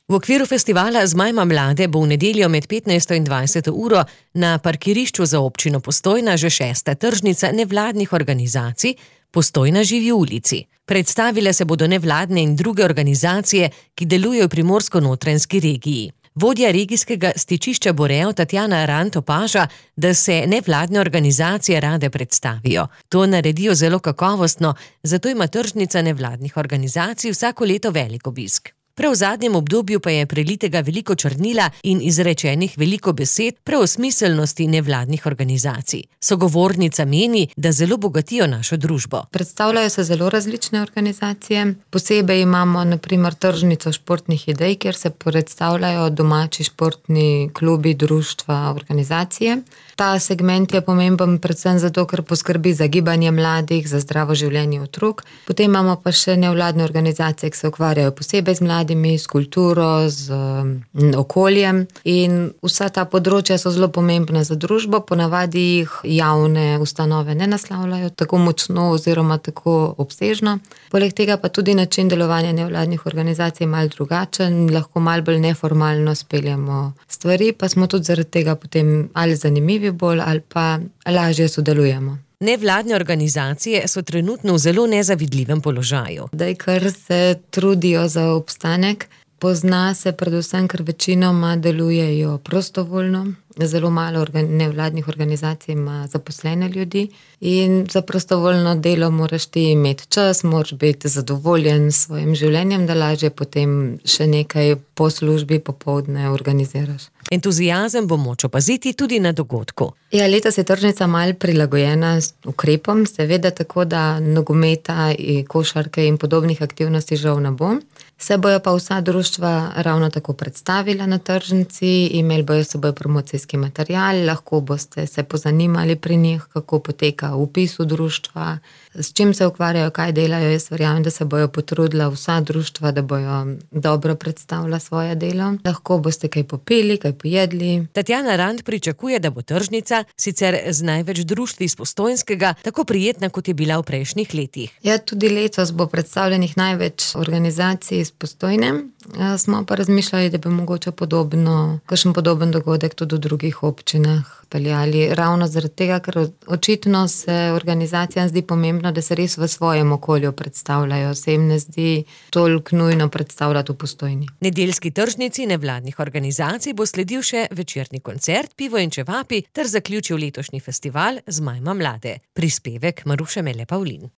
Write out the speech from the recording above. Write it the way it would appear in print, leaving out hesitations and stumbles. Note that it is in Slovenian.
V okviru festivala Zmajma mlade bo v nedeljo med 15. in 20. uro na parkirišču za občino Postojna že 6. tržnica nevladnih organizacij Postojna živi v ulici. Predstavile se bodo nevladne in druge organizacije, ki delujejo v Primorsko-notranjski regiji. Vodja regijskega stičišča Borejo Tatjana Rant opaža, da se nevladne organizacije rade predstavijo. To naredijo zelo kakovostno, zato ima tržnica nevladnih organizacij vsako leto velik obisk. Prav v zadnjem obdobju pa je prelitega veliko črnila in izrečenih veliko besed prav o smiselnosti nevladnih organizacij. Sogovornica meni, da zelo bogatijo našo družbo. Predstavljajo se zelo različne organizacije. Posebej imamo na primer tržnico športnih idej, kjer se predstavljajo domači športni klubi, društva, organizacije. Ta segment je pomemben predvsem zato, ker poskrbi za gibanje mladih, za zdravo življenje otrok. Potem imamo pa še nevladne organizacije, ki se ukvarjajo posebej z mladimi, s kulturo, z okoljem. In vsa ta področja so zelo pomembna za družbo, ponavadi jih javne ustanove ne naslavljajo tako močno oziroma tako obsežno. Poleg tega pa tudi način delovanja nevladnih organizacij je malo drugačen, lahko malo bolj neformalno speljamo stvari, pa smo tudi zaradi tega potem ali zanimivi bolj ali pa lažje sodelujemo. Nevladne organizacije so trenutno v zelo nezavidljivem položaju. Zdaj, ker se trudijo za obstanek, pozna se predvsem, ker večinoma delujejo prostovoljno. Zelo malo nevladnih organizacij ima zaposlene ljudi in za prostovoljno delo moraš ti imeti čas, moraš biti zadovoljen s svojim življenjem, da lažje potem še nekaj po službi popoldne organiziraš. Entuziazem bo moč opaziti tudi na dogodku. Ja, letos je tržnica malo prilagojena s ukrepom, seveda tako, da nogometa, košarke in podobnih aktivnosti žal ne bo. Se bojo pa vsa društva ravno tako predstavila na tržnici, imeli bojo s seboj promocijski material, lahko boste se pozanimali pri njih, kako poteka vpis v društva, s čim se ukvarjajo, kaj delajo. Jaz verjamem, da se bojo potrudila vsa društva, da bojo dobro predstavila svoje delo. Lahko boste kaj popili, kaj pojedli. Tatjana Rant pričakuje, da bo tržnica, sicer z največ društvi iz Postojnskega, tako prijetna, kot je bila v prejšnjih letih. Ja, tudi letos bo predstavljenih največ organizacij iz Postojne. Smo pa razmišljali, da bi mogoče kakšen podoben dogodek tudi v drugih občinah peljali. Ravno zaradi tega, ker očitno se organizacijam zdi pomembno, da se res v svojem okolju predstavljajo. Se jim ne zdi toliko nujno predstavljati v Postojni. Nedeljski tržnici nevladnih organizacij bo sledil še večerni koncert, pivo in čevapi ter zaključil letošnji festival Zmajma mlade. Prispevek Maruše Mele Pavlin.